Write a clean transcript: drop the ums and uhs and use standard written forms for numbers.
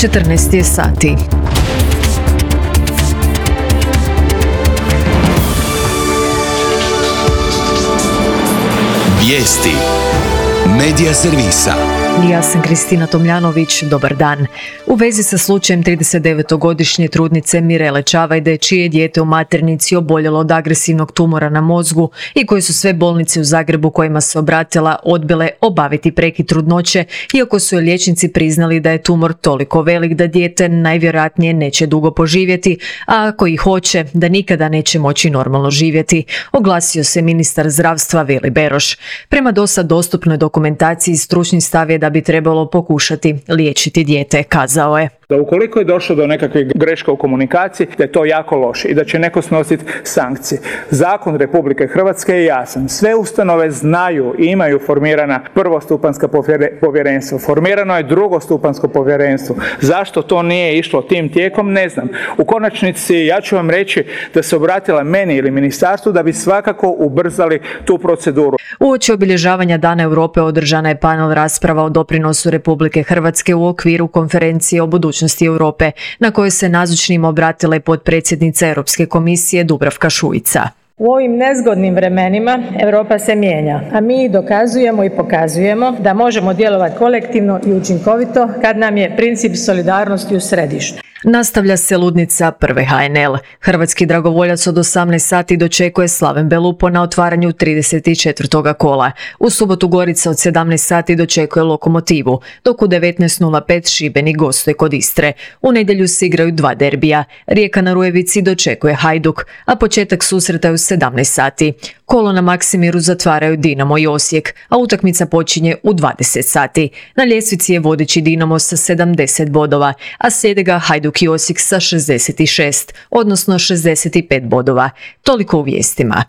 14 je sati. Vijesti Medija servisa. Ja sam Kristina Tomljanović, dobar dan. U vezi sa slučajem 39-godišnje trudnice Mirele Čavajde, čije je dijete u maternici oboljelo od agresivnog tumora na mozgu i koje su sve bolnice u Zagrebu kojima se obratila odbile obaviti prekid trudnoće, iako su joj liječnici priznali da je tumor toliko velik da dijete najvjerojatnije neće dugo poživjeti, a ako i hoće, da nikada neće moći normalno živjeti, oglasio se ministar zdravstva Vili Beroš. Prema dosad dostupnoj dokumentaciji stručni stav je da bi trebalo pokušati liječiti dijete, kazao je. Da ukoliko je došlo do nekakve greške u komunikaciji, da je to jako loše i da će neko snositi sankcije. Zakon Republike Hrvatske je jasan. Sve ustanove znaju i imaju formirana prvostupanjska povjerenstva. Formirano je drugostupanjsko povjerenstvo. Zašto to nije išlo tim tijekom, ne znam. U konačnici ja ću vam reći da se obratila meni ili ministarstvu da bi svakako ubrzali tu proceduru. Uoči obilježavanja Dana Europe održana je panel rasprava o doprinosu Republike Hrvatske u okviru konferencije o budućnosti Europe, na kojoj se nazočnima obratila i potpredsjednica Europske komisije Dubravka Šuica. U ovim nezgodnim vremenima Europa se mijenja, a mi dokazujemo i pokazujemo da možemo djelovati kolektivno i učinkovito kad nam je princip solidarnosti u središtu. Nastavlja se ludnica prve HNL. Hrvatski dragovoljac od 18 sati dočekuje Slaven Belupo na otvaranju 34. kola. U subotu Gorica od 17 sati dočekuje Lokomotivu, dok u 19.05 Šibenik gostuje kod Istre. U nedjelju se igraju dva derbija. Rijeka na Rujevici dočekuje Hajduk, a početak susreta je u 17 sati. Kolo na Maksimiru zatvaraju Dinamo i Osijek, a utakmica počinje u 20 sati. Na ljestvici je vodeći Dinamo sa 70 bodova, a slijede ga Hajduk i Osijek sa 66, odnosno 65 bodova. Toliko u vijestima.